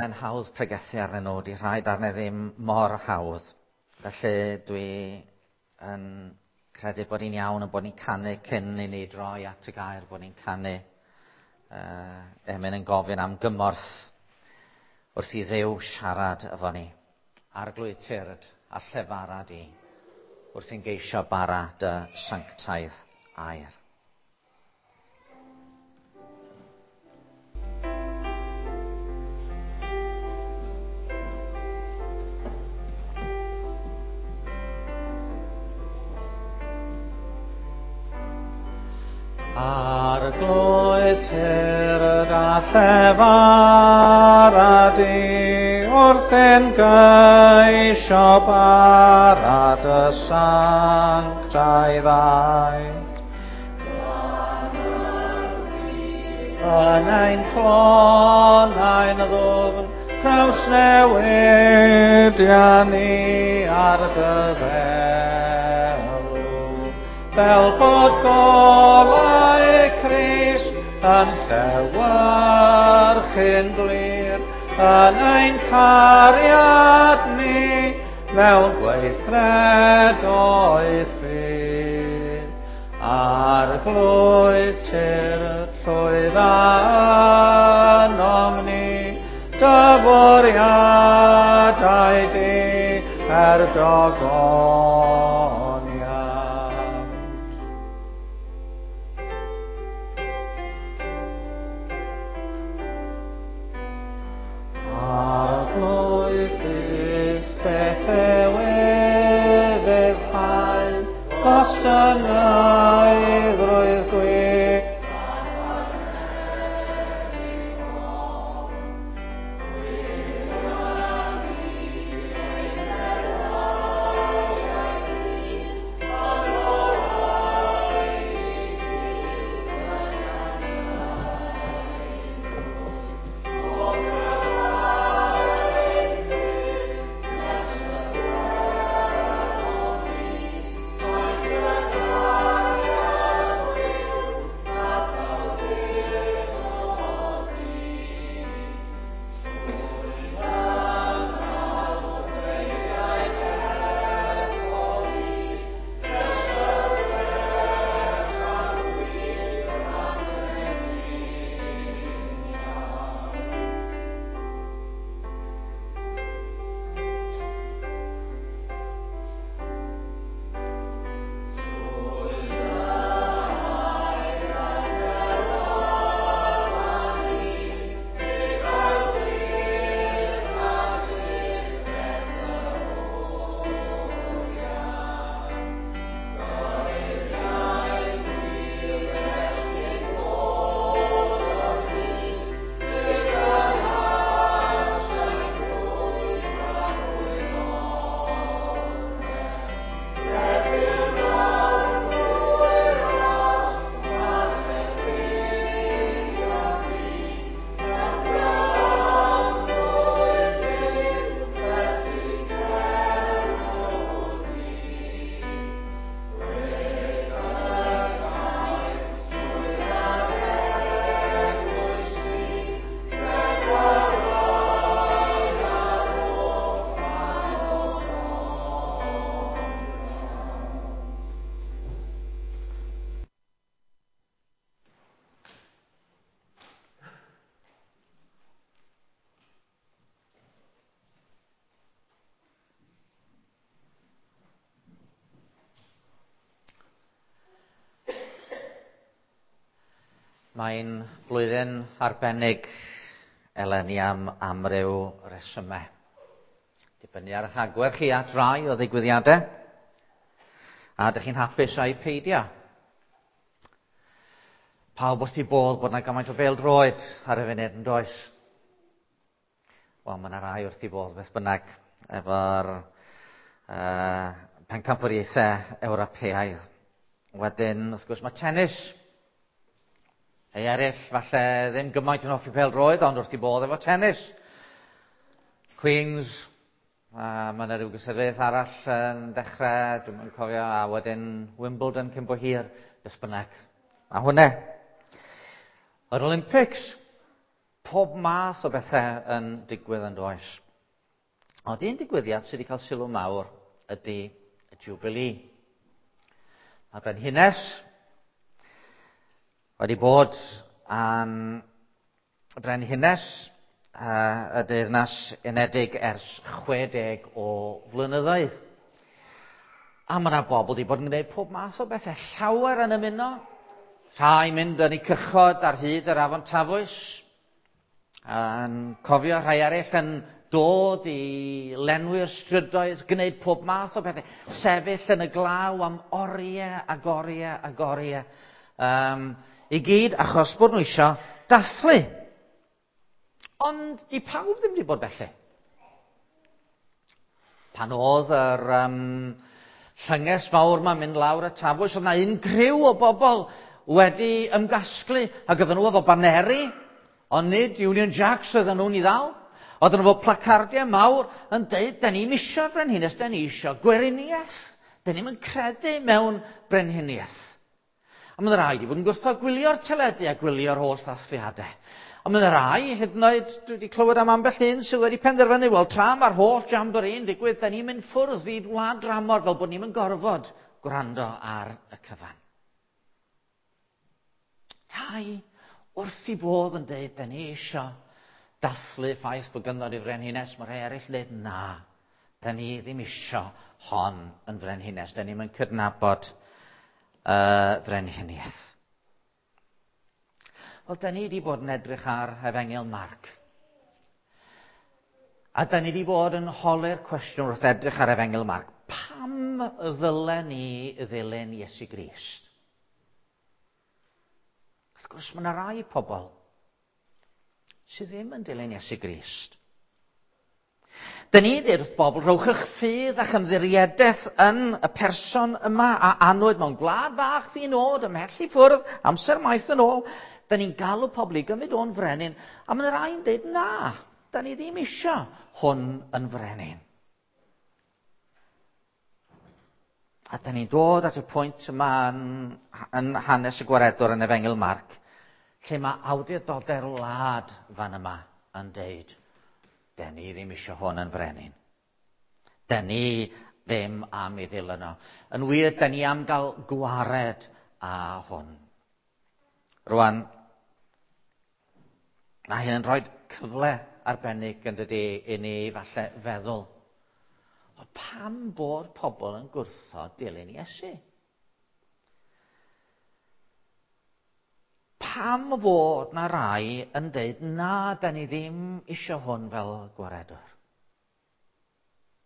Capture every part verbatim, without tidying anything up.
Yn hawdd pregethu arnyn nhw, di rhai darnau ddim mor hawdd. Felly dwi yn credu bod ni'n iawn yn bod ni'n canu cyn i ni droi at y gair, bod ni'n canu uh, emyn yn gofyn am gymorth wrth i Dduw siarad efo ni. Arglwydd tyrd a llefara di wrth i'n geisio bara dy sanctaidd air. Arglwydd tyrd a llefara di wrth ein geisio bara dy sanctaidd air. Yn ein clonau'n ddwfn, trawsnewidia ni ar dy ddelw, fel bod golau Crist yn llewyrchu'n glir yn ein cariad ni mewn gweithredoedd ffydd. Arglwydd tyrd llwydda ynom ni, dy fwriadau di er dogoniant. Arglwydd Crist, beth yw ufuddhau, gostyngeiddrwydd gwir. Mae'n flwyddyn arbennig eleni am amryw resymau. Dibynnu ar eich agwedd chi at rai o ddigwyddiadau, a ydych chi'n hapus a'i peidio. Pawb wrth i bodd bod yna gymaint o bêl-droed ar y funud yn does? Wel, mae yna rai wrth i bodd beth bynnag efo'r uh, pencampwriaethau Ewropeaidd. Wedyn, wrth gwrs, mae tennis. Ei eraill, falle ddim gymaint yn hoffi pêl-droed, ond wrth i bodd efo tennis. Queens, a mae yna rhyw gystadleuaeth arall yn dechrau, dwi'm yn cofio, a wedyn Wimbledon cyn bo hir, beth bynnag. A hwnna. Yr Olympics, Pob math o bethau yn digwydd yn does. Ond un digwyddiad sydd wedi cael sylw mawr ydy y Jubilee. Mae brenhines wedi bod yn brenhines uh, y Deyrnas Unedig ers chwe deg o flynyddoedd. A mae yna bobl wedi bod yn gwneud pob math o bethau. Llawer yn ymuno. Rhai mynd yn eu cychod ar hyd yr afon Tafwys. Yn cofio rhai eraill yn dod i lenwi'r strydoedd, gwneud pob math o bethau. Sefyll yn y glaw am oriau ag oriau ag oriau. Um, I gyd achos bod nhw eisiau dathlu. Ond di pawb ddim wedi bod felly. Pan oedd yr um, llynges mawr ma'n mynd lawr y Tafwys, oedd yna un criw o bobl wedi ymgasglu, ac oedden nhw efo baneri, ond nid Union Jacks oedden nhw'n i ddal. Oedden nhw efo placardiau mawr yn deud, da ni'm isio brenhines, da ni isio gweriniaeth. Da ni'm yn credu mewn brenhiniaeth. A mae yna rai wedi bod yn gwrthod gwylio'r teledu a gwylio'r holl ddathliadau. A mae yna rai, hyd yn oed, dwi wedi clywed am ambell un sydd wedi penderfynu, wel, tra mae'r holl jamboree'n digwydd, da ni'n mynd ffwrdd i wlad dramor fel bod ni'n mynd gorfod gwrando ar y cyfan. Rhai wrth i bodd yn deud, da ni eisiau dathlu ffaith bod gynnon ni frenhines. Mae rhai eraill yn deud, na, da ni ddim eisiau hon yn frenhines. Da ni'n mynd cydnabod uh, frenhiniaeth. Wel, da ni wedi bod yn edrych ar Efengyl Marc. A da ni wedi bod yn holi'r cwestiwn wrth edrych ar Efengyl Marc. Pam ddylen ni ddilyn Iesu Grist? Wrth gwrs, mae yna rai pobl sydd ddim yn dilyn Iesu Grist. Da ni dweud wrth bobl, rhowch eich ffydd a'ch ymddiriedaeth yn y person yma a anwyd mewn gwlad fach ddinod, ymhell i ffwrdd, amser maith yn ôl. Da ni'n galw pobl i gymryd o'n frenin, a mae yna rai'n dweud, na, da ni ddim eisiau hwn yn frenin. A da ni'n dod at y pwynt yma yn, yn hanes y gwaredwr yn Efengyl Marc, lle mae awdurdodau'r wlad fan yma yn deud, da ni ddim eisiau hwn yn frenin. Da ni ddim am ei ddilyn o. Yn wir, da ni am gael gwared â hwn. Rwan, mae hyn yn rhoi cyfle arbennig yn dydi i ni falle feddwl, o pam bod pobl yn gwrthod dilyn Iesu? Pam fod na rai yn deud, na, da ni ddim eisiau hwn fel gwaredwr?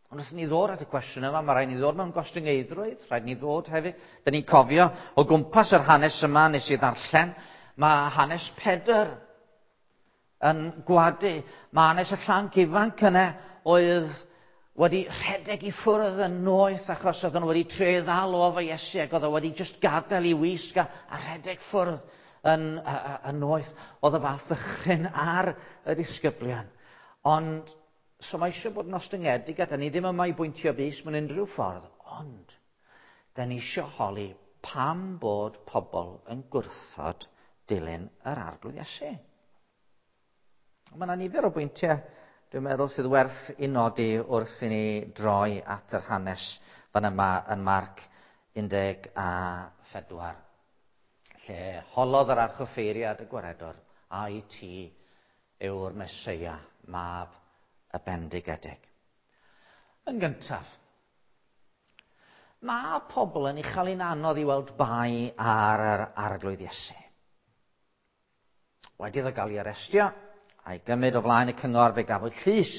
Ond wrth ni ddod at y cwestiwn yma, mae rhaid ni ddod mewn gostyngeiddrwydd, rhaid ni ddod hefyd. Da ni'n cofio o gwmpas yr hanes yma nes i ddarllen, mae hanes Pedr yn gwadu. Mae hanes y llanc ifanc yna oedd wedi rhedeg i ffwrdd yn noeth achos oedden nhw wedi trio ddal o efo Iesu ac oedd o wedi just gadael i wisg a, a rhedeg ffwrdd yn, yn noeth. Oedd y fath ddychryn ar y disgyblion. Ond so mae eisiau bod yn ostyngedig a da ni ddim yma i bwyntio bys mewn unrhyw ffordd, ond da ni eisiau holi pam bod pobl yn gwrthod dilyn yr Arglwydd Iesu. Mae yna nifer o bwyntiau, dwi'n meddwl, sydd werth i nodi wrth i ni droi at yr hanes fan yma yn Marc un deg a phedwar, lle holodd yr archoffeiriad y gwaredwr, ai ti yw'r Meseia, mab y bendigedig. Yn gyntaf, mae pobl yn ei chael hi'n anodd i weld bai ar yr Arglwydd Iesu. Wedi iddo gael ei arestio a'i gymryd o flaen y cyngor, fe gafwyd llys.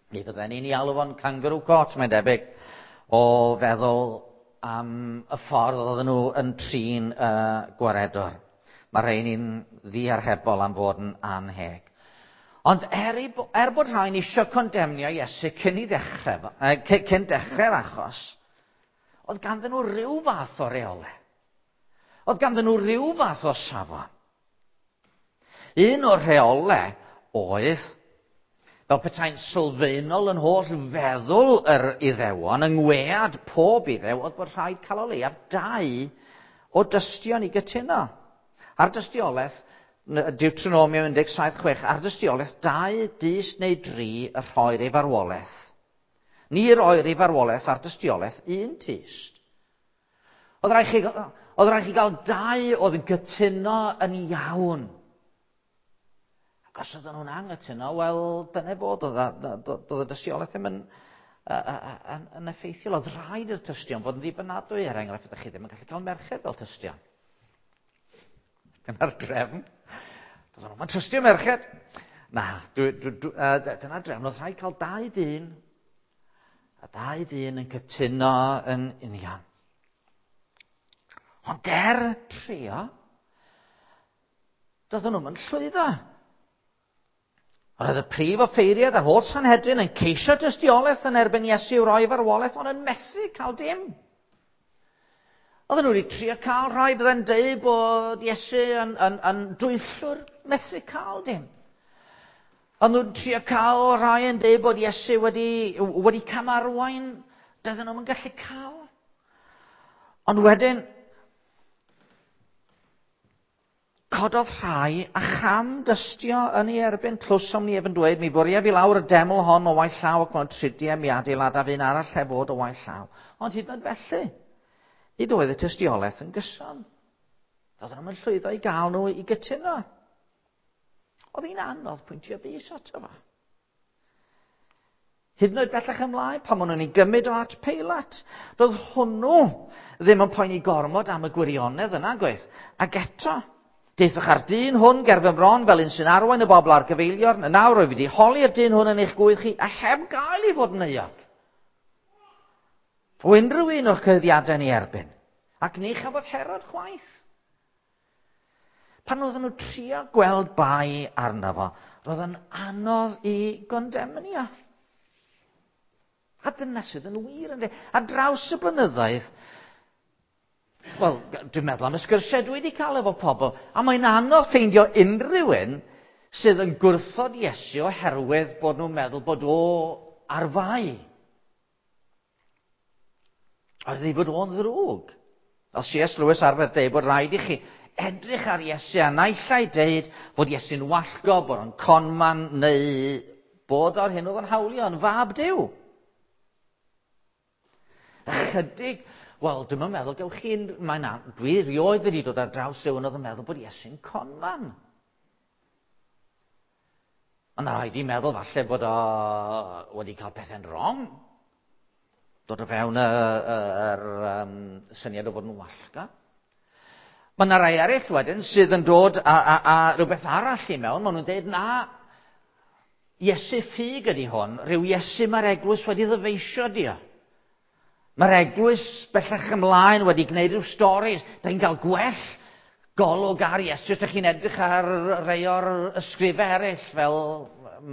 Mi fydden ni'n ei alw fo'n kangaroo court, mae'n debyg, o feddwl am y ffordd oedden nhw yn trin y gwaredwr. Mae rhain ni'n ddiarhebol am fod yn anheg. Ond er, i, er bod rhain eisiau condemnio Iesu cyn i ddechrau, cyn dechrau'r achos, oedd ganddyn nhw ryw fath o reolau. Oedd ganddyn nhw ryw fath o safon. Un o'r rheolau oedd, fel petai'n sylfaenol yn holl feddwl yr Iddewon, yng ngwead pob Iddew, oedd bod rhaid cael o leiaf dau o dystion i gytuno. A'r dystiolaeth Deuteronomium un deg saith chwech, ar dystiolaeth dau dyst neu dri y rhoir ei farwolaeth. Ni roir ei farwolaeth ar dystiolaeth un tyst. Oedd rhaid chi, oedd rhaid chi gael dau oedd yn cytuno yn iawn. Ac os oedden nhw'n anghytuno, wel, dyna fod, oedd y dystiolaeth ddim yn, yn, yn effeithiol. Oedd rhaid i'r tystion fod yn ddibynadwy, er enghraifft, ydych chi ddim yn gallu cael merched fel tystion. Dyna'r drefn. Doedden nhw'n trystio merched. Na, dwi, dwi, dwi, uh, dyna'r drefn. Oedd rhaid cael dau dyn, a dau dyn yn cytuno yn union. Ond er trio, doedden nhw'n llwyddo. Oedd y prif offeiriad a'r holl Sanhedrin yn ceisio dystiolaeth yn erbyn Iesu i'w roi farwolaeth, ond yn methu cael dim. Oedden nhw wedi trio cael rhai fydde'n deud bod Iesu yn, yn, yn dwyllwr, methu cael dim. Oedden nhw'n trio cael rhai yn deud bod Iesu wedi, wedi camarwain, doedden nhw'n gallu cael. Ond wedyn, cododd rhai a cham dystio yn ei erbyn. Clywsom ni ef yn dweud, mi fwriaf i lawr y deml hon o waith llaw ac mewn tridiau mi adeiladaf un arall heb fod o waith llaw. Ond hyd yn oed felly, nid oedd y tystiolaeth yn gyson. Doedden nhw'n llwyddo i gael nhw i gytuno. Oedd hi'n anodd pwyntio bys ato fo. Hyd yn oed bellach ymlaen, pan maen nhw'n ei gymryd o at Peilat, doedd hwnnw ddim yn poeni gormod am y gwirionedd yna, gwaith. Ac eto, deuthoch ar dyn hwn ger fy mron fel un sy'n arwain y bobl ar gyfeiliorn. Nawr rwyf wedi holi'r dyn hwn yn eich gwydd chi a heb gael ei fod yn euog o unrhyw un o'ch cyhuddiadau yn ei erbyn. Ac ni chafodd Herod chwaith. Pan oedden nhw trio gweld bai arno fo, roedd yn anodd i gondemnio. A dyna sydd yn wir, ynddi. A draws y blynyddoedd, wel, dwi'n meddwl am y sgyrsiau dwi wedi cael efo pobl, a mae'n anodd ffeindio unrhyw un sydd yn gwrthod Iesu oherwydd bod nhw'n meddwl bod o ar fai. Oedd ei fod o'n ddrwg. Fel C S Lewis arfer deud bod rhaid i chi edrych ar Iesu a naill ai deud bod Iesu'n wallgo, bod o'n conman, neu bod o'r hyn oedd o'n hawlio yn fab Duw. Ychydig, wel, dwi'm yn meddwl gewch chi, mae'n an, dwi rioed wedi dod ar draws rhywun oedd yn meddwl bod Iesu'n conman. Ond rhaid i meddwl falle bod o wedi cael pethau'n wrong. Dod o fewn yr um, syniad o fod yn wallga. Mae yna rai eraill wedyn sydd yn dod a, a, a rhywbeth arall i mewn. Maen nhw'n dweud, na, Iesu ffug ydy hwn, rhyw Iesu mae'r eglwys wedi ddyfeisio di o. Mae'r eglwys bellach ymlaen wedi gwneud rhyw storis. Da ni'n cael gwell golwg ar Iesu os ydych chi'n edrych ar rei o'r ysgrifau eraill, fel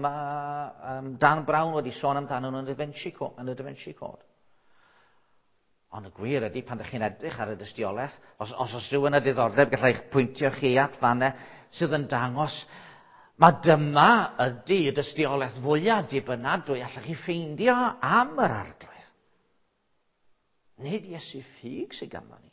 mae um, Dan Brown wedi sôn amdano nhw yn y Da Vinci Code, yn y Da Vinci Code. Ond y gwir ydy, pan ydych chi'n edrych ar y dystiolaeth, os, os oes rhywun â diddordeb, gallai eich pwyntio chi at fannau sydd yn dangos, mae dyma ydy y dystiolaeth fwyaf dibynadwy allwch chi ffeindio am yr Arglwydd. Nid Iesu ffug sydd ganddo ni.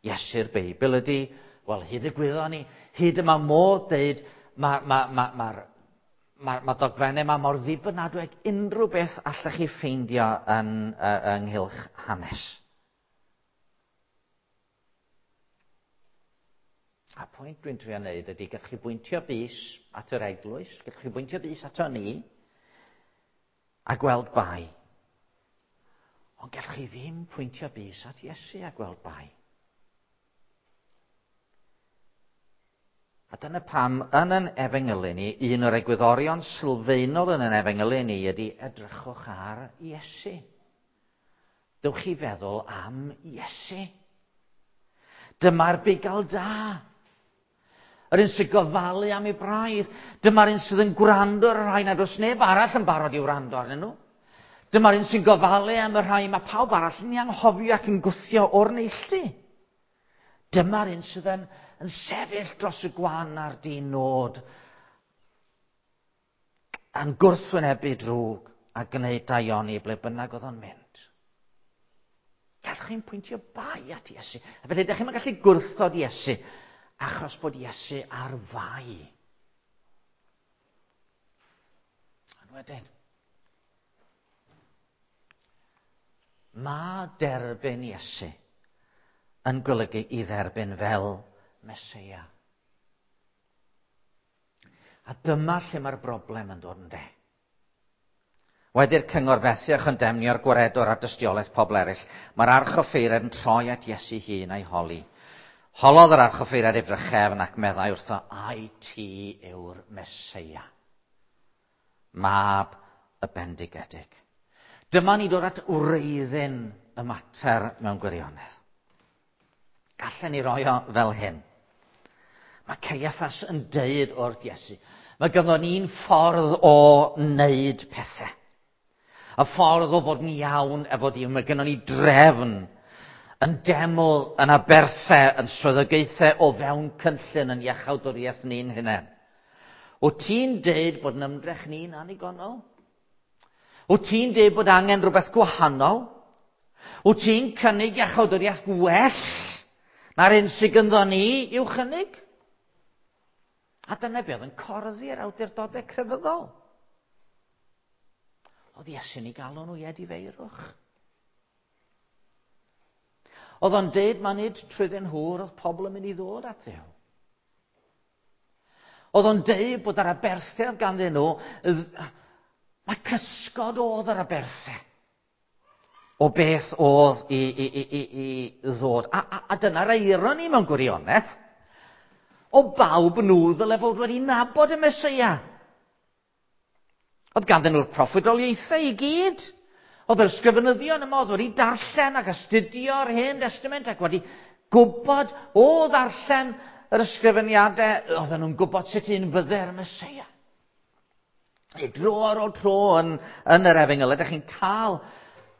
Iesu'r Beibl ydy, wel, hyd y gwyddon ni, hyd yma modd deud, mae'r ma, ma, ma, ma, ma dogfennau yma mor ddibynadwy ag unrhyw beth allwch chi ffeindio yn, uh, ynghylch hanes. A pwynt dwi'n trio wneud ydy, gallwch chi bwyntio bys at yr eglwys, gallwch chi bwyntio bys ato ni, a gweld bai. Ond gallwch chi ddim pwyntio bys at Iesu a gweld bai. A dyna pam yn yn efengylu ni, un o'r egwyddorion sylfaenol yn yn efengylu ni ydy edrychwch ar Iesu. Dewch chi feddwl am Iesu. Dyma'r bugail da. Yr un sy'n gofalu am ei braidd. Dyma'r un sydd yn gwrando ar y rhai nad oes neb arall yn barod i wrando arnyn nhw. Dyma'r un sy'n gofalu am y rhai mae pawb arall yn ei anghofio ac yn gwthio o'r neilltu. Dyma'r un sydd yn, yn sefyll dros y gwan a'r di-nod, yn gwrthwynebu drwg a gwneud daioni ble bynnag oedd o'n mynd. Gallwch chi'n pwyntio bai at Iesu. A felly, ydych chi'n gallu gwrthod Iesu achos bod Iesu ar fai. Ond wedyn, mae derbyn Iesu yn golygu i dderbyn fel Meseia. A dyma lle mae'r broblem yn dod yn de. Wedi'r cyngor fethu a chondemnio'r gwaredwr a dystiolaeth pobl eraill, mae'r archoffeiriad yn troi at Iesu hun a'i holi. Holodd yr archoffeiriad ei drachefn ac meddai wrtho, ai ti yw'r Meseia, mab y bendigedig. Dyma ni dod at wreiddyn y mater mewn gwirionedd. Gallen ni roi o fel hyn. Mae Caiaffas yn deud wrth Iesu, mae ganddo ni'n ffordd o wneud pethau. Y ffordd o fod yn iawn efo Duw. Mae gynnon ni drefn yn deml, yn aberthau, yn swyddogaethau o fewn cynllun yn iachawdwriaeth ni'n hunain. Wyt ti'n deud bod yn ymdrech ni'n annigonol? Wyt ti'n deud bod angen rhywbeth gwahanol? Wyt ti'n cynnig iachawdwriaeth gwell na'r un sydd gynddo ni i'w chynnig? A dyna be oedd yn corddi'r awdurdodau crefyddol. Oedd Iesu'n ei galw nhw i edifeirwch. Oedd o'n deud ma nid trwyddyn nhw oedd pobl yn mynd i ddod at Dduw. Oedd o'n deud bod yr aberthedd ganddyn nhw, mae cysgod oedd yr aberthau o beth oedd i, i, i, i, i ddod. A, a, a dyna'r eironi mewn gwirionedd. O bawb nhw ddyle fod wedi nabod y Meseia. Oedd ganddyn nhw'r proffwydoliaethau i gyd. Oedd yr ysgrifenyddion yma oedd wedi darllen ac astudio'r Hen Testament ac wedi gwybod o ddarllen yr ysgrifeniadau, oedden nhw'n gwybod sut un fydde'r Meseia. I dro ar ôl tro yn, yn yr Efengyl, ydych chi'n cael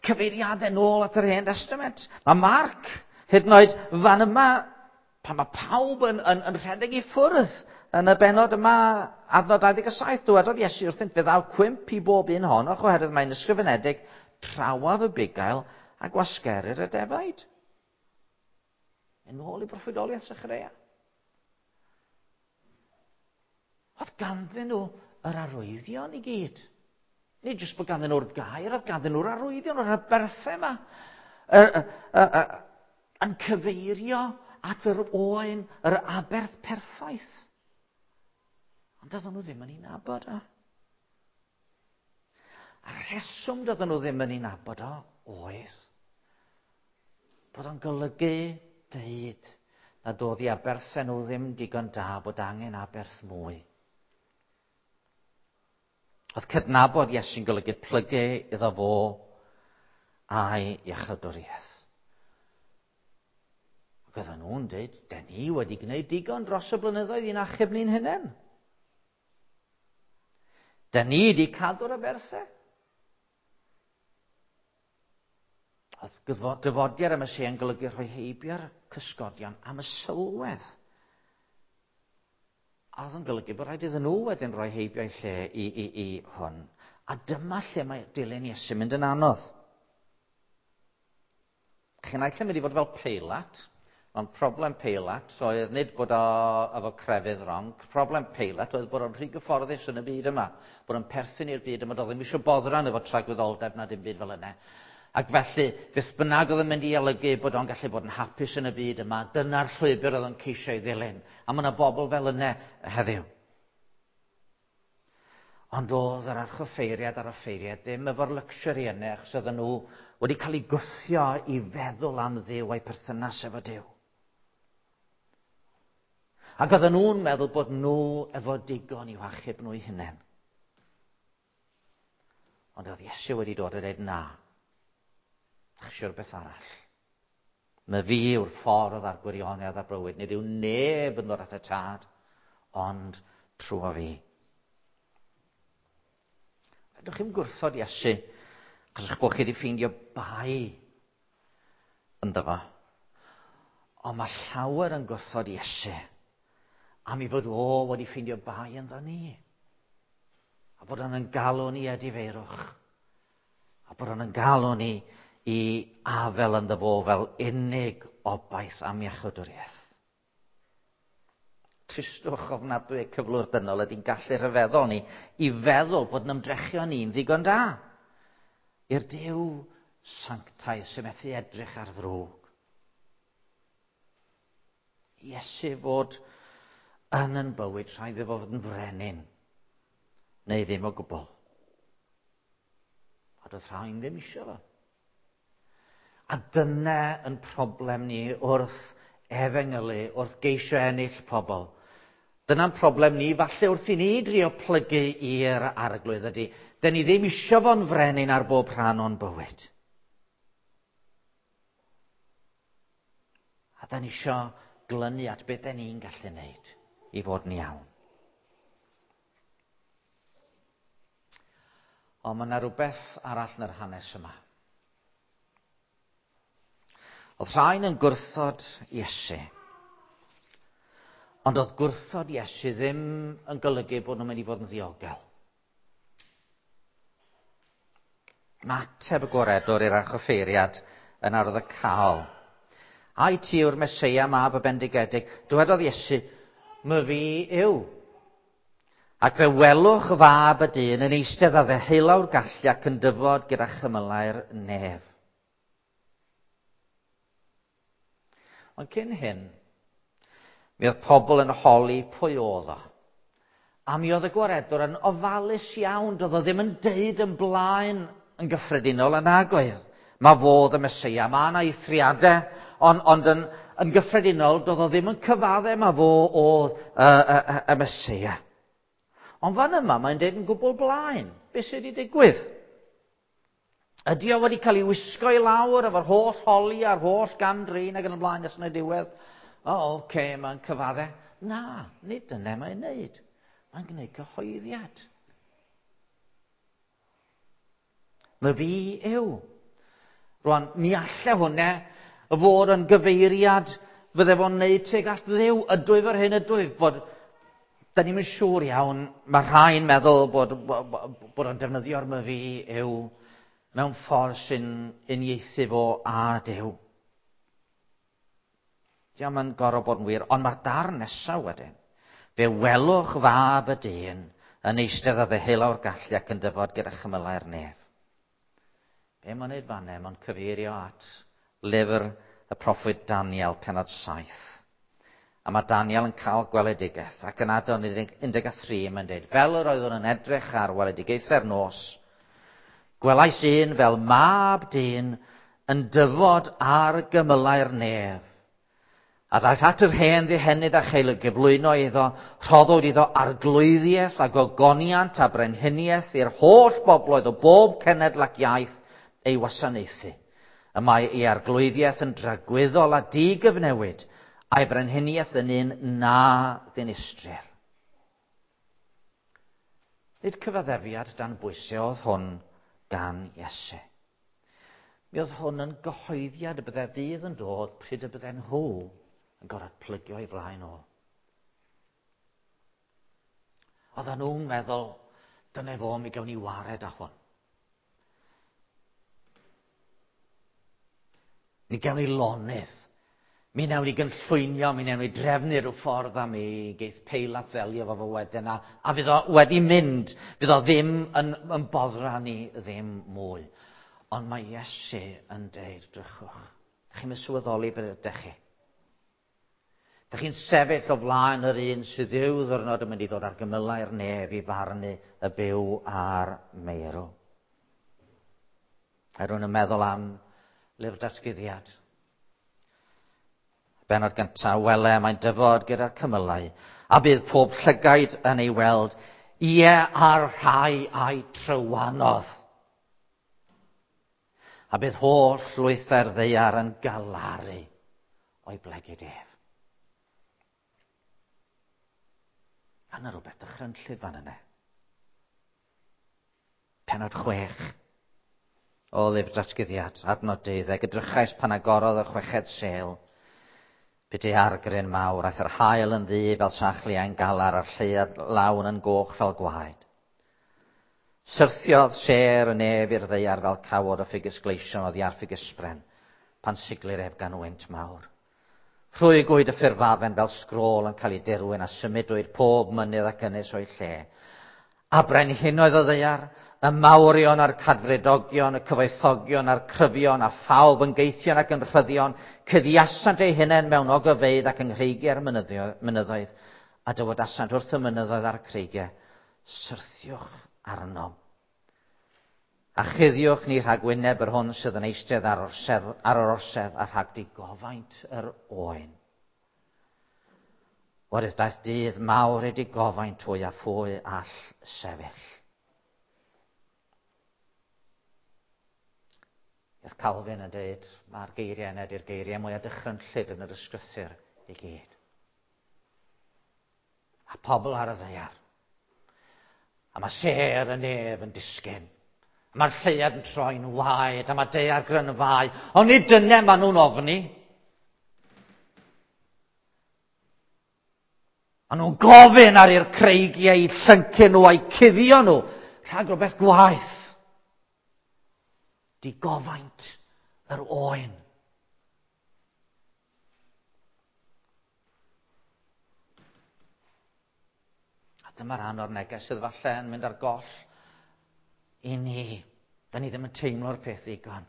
cyfeiriadau nôl at yr Hen Testament. Mae Marc, hyd yn oed fan yma, pan mae pawb yn, yn, yn rhedeg i ffwrdd yn y bennod yma, adnod dau ddeg saith, dywedodd Iesu wrthynt, fe ddaw cwymp i bob un ohonoch oherwydd mae'n ysgrifenedig trawaf y bugail a gwasgerir y defaid. Yn ôl i broffwydoliaeth Sechareia. Oedd ganddyn nhw yr arwyddion i gyd. Nid jyst bod ganddyn nhw'r gair, oedd ganddyn nhw'r arwyddion, o'r aberthau yma. Y, y, y, y, yn cyfeirio at yr oen, yr aberth perffaith. Ond doedden nhw ddim yn ei nabod o. A rheswm doedden nhw ddim yn ei nabod o oedd bod o'n golygu deud nad oedd i aberthau nhw ddim digon da, bod angen aberth mwy. Oedd cydnabod Iesu'n golygu plygu iddo fo a'i iachawdwriaeth. Ac oedden nhw'n dweud, den ni wedi gwneud digon dros y blynyddoedd i'n achub ni'n hunain. Den ni wedi cadw'r aberthau. Oedd dyfodiad y Meseia yn golygu rhoi heibio'r cysgodion am y sylwedd. A oedd yn golygu bod rhaid iddyn nhw wedyn rhoi heibio'i lle i, i, i hwn. A dyma lle mae dilyn Iesu mynd yn anodd. Chi'n naill yn mynd i fod fel Peilat, ond problem Peilat oedd nid bod o efo crefydd wrong. Problem Peilat oedd bod o'n rhy gyfforddus yn y byd yma, bod o'n perthyn i'r byd yma, doedd ddim eisiau boddran efo tragwyddoldeb na dim byd fel yna. Ac felly, beth bynnag oedd yn mynd i olygu bod o'n gallu bod yn hapus yn y byd yma, dyna'r llwybr oedd o'n ceisio ei ddilyn. A mae yna bobl fel yna heddiw. Ond oedd yr archoffeiriad a'r offeiriad ddim efo'r luxury yna, achos oedden nhw wedi cael eu gwthio i feddwl am Dduw a'i perthynas efo Duw. Ac oedden nhw'n meddwl bod nhw efo digon i'w achub nhw eu hunain. Ond oedd Iesu wedi dod a dweud na. Eisiau rhywbeth arall. Mae fi yw'r ffordd a'r gwirionedd a'r bywyd. Nid yw neb yn dod at y tad, ond trwy fi. Fedrwch chi'm gwrthod Iesu, achos eich bod chi wedi ffeindio bai ynddo fo. Ond mae llawer yn gwrthod Iesu am ei fod o wedi ffeindio bai ynddo ni. A bod o'n galw ni edifeirwch. A bod o'n galw ni i afel ynddo fo fel unig obaith am iachawdwriaeth. Tristwch ofnadwy y cyflwr dynol ydy'n gallu rhyfeddol ni i feddwl bod yn ymdrechion ni'n ddigon da. I'r Duw sanctaidd sy'n methu edrych ar ddrwg. Iesu fod yn yn bywyd, rhaid iddo fod yn frenin, neu ddim o gwbl. A doedd rhain ddim eisiau fo. A dyna yn problem ni wrth efengylu, wrth geisio ennill pobl. Dyna'n problem ni, falle wrth i ni drio plygu i'r arglwydd ydy. Dyn ni ddim eisiau fo'n frenin ar bob rhan o'n bywyd. A dyn ni eisiau glynu at beth dyn ni'n gallu wneud i fod yn iawn. Ond mae yna rhywbeth arall yn yr hanes yma. Oedd rhain yn gwrthod Iesu. Ond oedd gwrthod Iesu ddim yn golygu bod nhw'n mynd i fod yn ddiogel. Mae ateb y gwaredwr i'r archoffeiriad yn arwyddocaol. Ai ti yw'r Meseia mab y bendigedig? Dywedodd Iesu, my fi yw. Ac fe welwch fab y dyn yn eistedd ar ddeheulaw'r gallu ac yn dyfod gyda chymylau'r nef. Ond cyn hyn, mi oedd pobl yn holi pwy oedd o. A mi oedd y gwaredwr yn ofalus iawn, doedd o ddim yn deud yn blaen yn gyffredinol yn nagoedd. Mae fod y Meseia, mae yna eithriadau, ond, ond yn, yn gyffredinol doedd o ddim yn cyfadde mae fo oedd y, y, y, y Meseia. Ond fan yma mae'n deud yn gwbl blaen, beth sydd wedi digwydd? Ydy o wedi cael ei wisgo i lawr efo'r holl holi a'r holl gam-drin ac yn y blaen nes yn y diwedd? O, oh, oce, okay, mae'n cyfadde. Na, nid dyna mae'n neud. Mae'n gwneud cyhoeddiad. Mae fi yw. Rwan, mi alle hwnna fod yn gyfeiriad fydde fo'n neud tuag at Dduw. Ydwyf yr hyn ydwyf, bod da ni'm yn siŵr iawn, mae rhai'n meddwl bod, bod o'n defnyddio'r my fi yw mewn ffordd sy'n uniaethu fo a Duw. Diolch yn gorfod bod yn wir, ond mae'r darn nesaf wedyn. Fe welwch fab y dyn yn eistedd ar ddeheulaw'r gallu ac yn dyfod gyda chymylau'r nef. Be mae'n neud fanne? Mae'n cyfeirio at lyfr y proffwyd Daniel, pennod saith. A mae Daniel yn cael gweledigaeth, ac yn adnod un deg tri mae'n dweud, fel yr oeddwn yn edrych ar weledigaethau'r nos, gwelais un fel mab dyn yn dyfod ar gymylau'r nef. A daeth at yr hen ddihenydd a chael ei gyflwyno iddo, rhoddwyd iddo arglwyddiaeth a gogoniant a brenhiniaeth i'r holl bobloedd o bob cenedl ac iaith ei wasanaethu. Y mae ei arglwyddiaeth yn dragwyddol a digyfnewid, a'i brenhiniaeth yn un na ddinistrir. Nid cyfaddefiad dan bwysau oedd hwn gan Iesu. Mi oedd hwn yn gyhoeddiad y bydde ddydd yn dod pryd y bydden nhw yn gorfod plygio i flaen o. Oedden nhw'n meddwl, dyna fo, mi gawn ni wared â hwn. Mi gawn ni lonydd. Mi wnawn ni gynllwynio, mi wnawn ni drefnu rhyw ffordd a mi geith Peilat ddelio fo fo wedyn a, a fydd o wedi mynd, fydd o ddim yn, yn boddra ni ddim mwy. Ond mae Iesu yn deud, drychwch, dych chi'n sylweddoli beth ydych chi. Dych chi'n sefyll o flaen yr un sydd ddiw ddwrnod yn mynd i ddod ar gymylau'r nef i farnu y byw a'r meirw. A rwy'n yn meddwl am lyfr datguddiad. Bennod gyntaf, wele, mae'n dyfod gyda'r cymylau, a bydd pob llygaid yn ei weld, ie a'r rhai a'i trywanodd. A bydd holl lwythau'r ddaear yn galaru o'i blegid ef. A yna rhywbeth dychrynllyd fan yna. Pennod chwech o lyfr datguddiad, adnod deuddeg, edrychais pan agorodd y chweched sêl. Bydde argryn mawr, aeth yr haul yn ddu fel sachliain galar a'r lleuad lawn yn goch fel gwaed. Syrthiodd sêr y nef i'r ddaear fel cawod o ffigys gleision oddi ar ffigysbren, pan siglir ef gan wynt mawr. Rhwygwyd y ffurfafen fel sgrôl yn cael ei dirwyn a symudwyd pob mynydd ac ynys o'i lle. A brenhinoedd o ddaear, y mawrion a'r cadfridogion, y cyfoethogion a'r cryfion, a phawb yn geithion ac yn rhyddion, cuddiasant eu hunain mewn ogofeydd ac yng nghreigiau'r mynyddoedd, a dywedasant wrth y mynyddoedd a'r creigiau, syrthiwch arnom. A chuddiwch ni rhag wyneb yr hwn sydd yn eistedd ar, orsedd, ar yr orsedd a rhag digofaint yr oen. Oherwydd daeth dydd mawr eu digofaint hwy a phwy all sefyll. Oedd Calvin yn dweud, mae'r geiriau yna ydy'r geiriau mwyaf dychrynllyd yn yr ysgrythur i gyd. A pobl ar y ddaear. A mae sêr y nef yn disgyn. A mae'r lleuad yn troi'n waed, a mae daear grynfau. Ond nid dyna maen nhw'n ofni. Maen nhw'n gofyn ar i'r creigiau i llyncu nhw a'i cuddio nhw rhag rhywbeth gwaeth. Digofaint yr oen. A dyma rhan o'r neges sydd falle yn mynd ar goll i ni. Da ni ddim yn teimlo'r peth ddigon.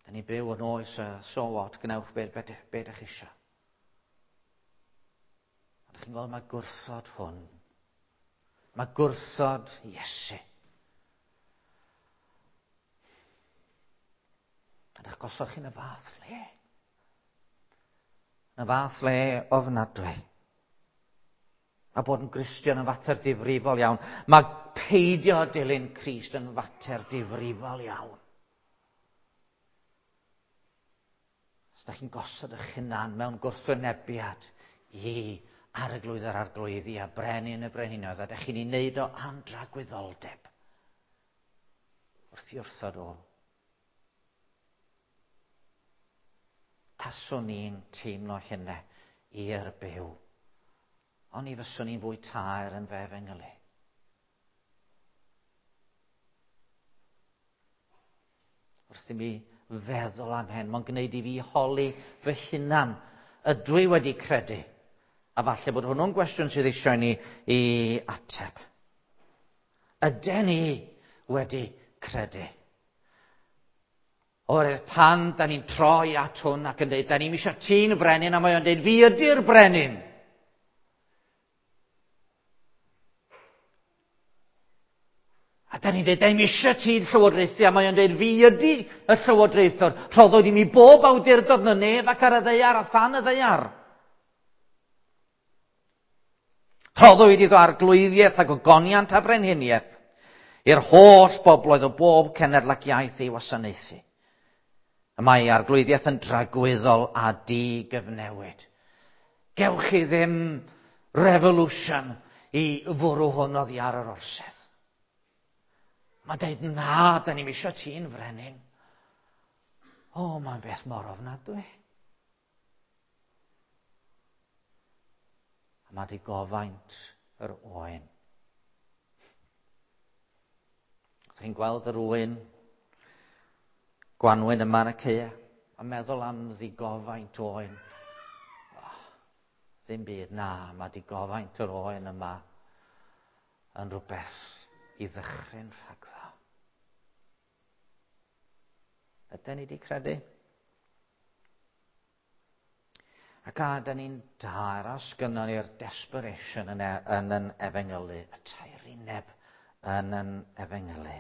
Da ni byw yn oes a so what, gwnewch be, be, be ydych chi eisiau. A ydych chi'n gweld mae gwrthod hwn. Mae gwrthod Iesu. A ydych gosod chi'n y fath le. Yn y fath le ofnadwy. Mae bod yn Gristion yn fater difrifol iawn. Mae peidio dilyn Crist yn fater difrifol iawn. Os ydych chi'n gosod eich hunan mewn gwrthwynebiad i arglwydd yr arglwyddi a brenin y brenhinoedd, a ydych chi'n ei wneud o am dragwyddoldeb wrth i wrthod o. Taswn ni'n teimlo hynna i'r byw. Ond i fyswn ni'n fwy taer yn fe efengylu. Wrth i mi feddwl am hyn, mae'n gwneud i fi holi fy hunan. Ydw i wedi credu? A falle bod hwnnw'n gwestiwn sydd eisiau ni i ateb. Ydyn ni wedi credu? Oherwydd pan da ni'n troi at hwn ac yn dweud, da ni'n eisiau ti'n brenin, a mae o'n dweud, fi ydy'r brenin. A da ni'n dweud, da ni'n eisiau ti'n llywodraethu, a mae o'n dweud, fi ydy y llywodraethwr. Rhoddwyd i mi bob awdurdod yn y nef ac ar y ddaear a than y ddaear. Rhoddwyd iddo arglwyddiaeth ac ogoniant a brenhiniaeth i'r holl bobloedd o bob cenedl ac iaith ei wasanaethu. Y mae arglwyddiaeth yn dragwyddol a digyfnewid. Gewch chi ddim revolution i fwrw hwn oddi ar yr orsedd. Mae'n dweud, na, da ni'm eisiau ti'n frenin. O, mae'n beth mor ofnadwy. A mae digofaint yr oen. Ydych chi'n gweld yr oen gwanwyn yma yn y caeau, a meddwl am ddigofaint oen. Oh, ddim byd, na, mae digofaint yr oen yma yn rhywbeth i ddychryn rhagddo. Ydyn ni wedi credu? Ac a dyn ni'n dair, os gynnon ni'r desperation yn, e, yn, yn efengylu, y tairineb yn yn efengylu.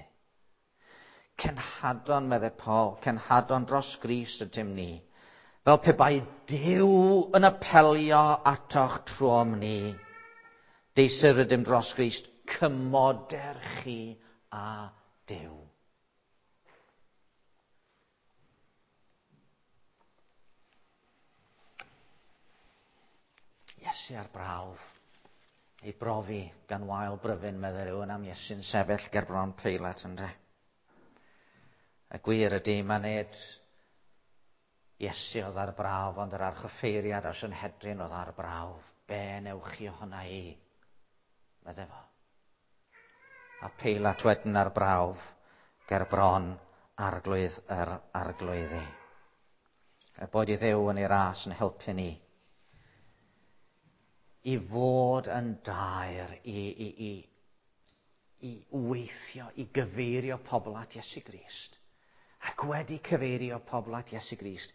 Cenhadon, meddai Paul, cenhadon dros Grist ydym ni. Fel pe bai Duw yn apelio atoch trwom ni. Deisir ydym dros Grist, cymoder chi a Duw. Iesu ar brawf, ei brofi gan wael bryfyn, meddai rhywun am Iesu'n sefyll ger bron Peilat, ynde? Y gwir ydy, mae nid Iesu oedd ar brawf, ond yr archoffeiriad a'r Sanhedrin oedd ar brawf. Be newch chi ohona i? Meddai fo. A Peilat wedyn ar brawf ger bron arglwydd yr arglwyddi. Er boed i Dduw yn ei ras yn helpu ni i fod yn daer, i, i, i, i weithio, i gyfeirio pobl at Iesu Grist. Ac wedi cyfeirio pobl at Iesu Grist,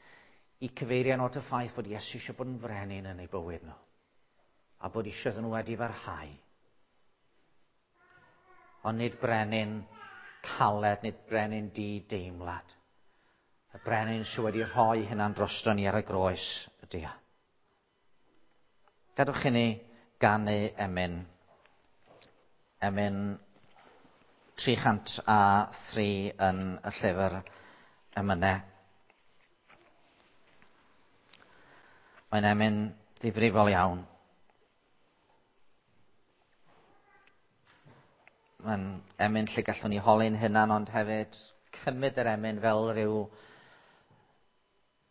i cyfeirio nhw at y ffaith bod Iesu eisiau bod yn frenin yn eu bywyd nhw. A bod eisiau iddyn nhw wedi farhau. Ond nid brenin caled, nid brenin di-deimlad. Y brenin sydd wedi rhoi hynna'n drosto ni ar y groes ydy o. Gadwch i ni ganu emyn. Emyn tri chant a thri yn y llyfr emynau. Mae'n emyn ddifrifol iawn. Mae'n emyn lle gallwn ni holi'n hunan, ond hefyd cymryd yr emyn fel rhyw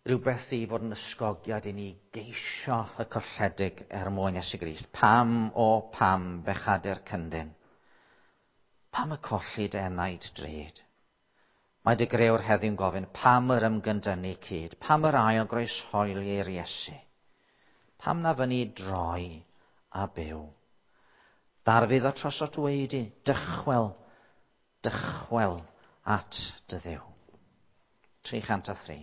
rhywbeth i fod yn ysgogiad i ni geisio y colledig er mwyn Iesu Grist. Pam, o pam, bechadur cyndyn? Pam y colli dy enaid drud? Mae dy grëwr heddiw'n gofyn, pam yr ymgyndynnu cyd? Pam yr ail groeshoeli i'r Iesu? Pam na fyny droi a byw? Darfydd o trosot dweud, dychwel, dychwel at dy Dduw. tri chant a thri.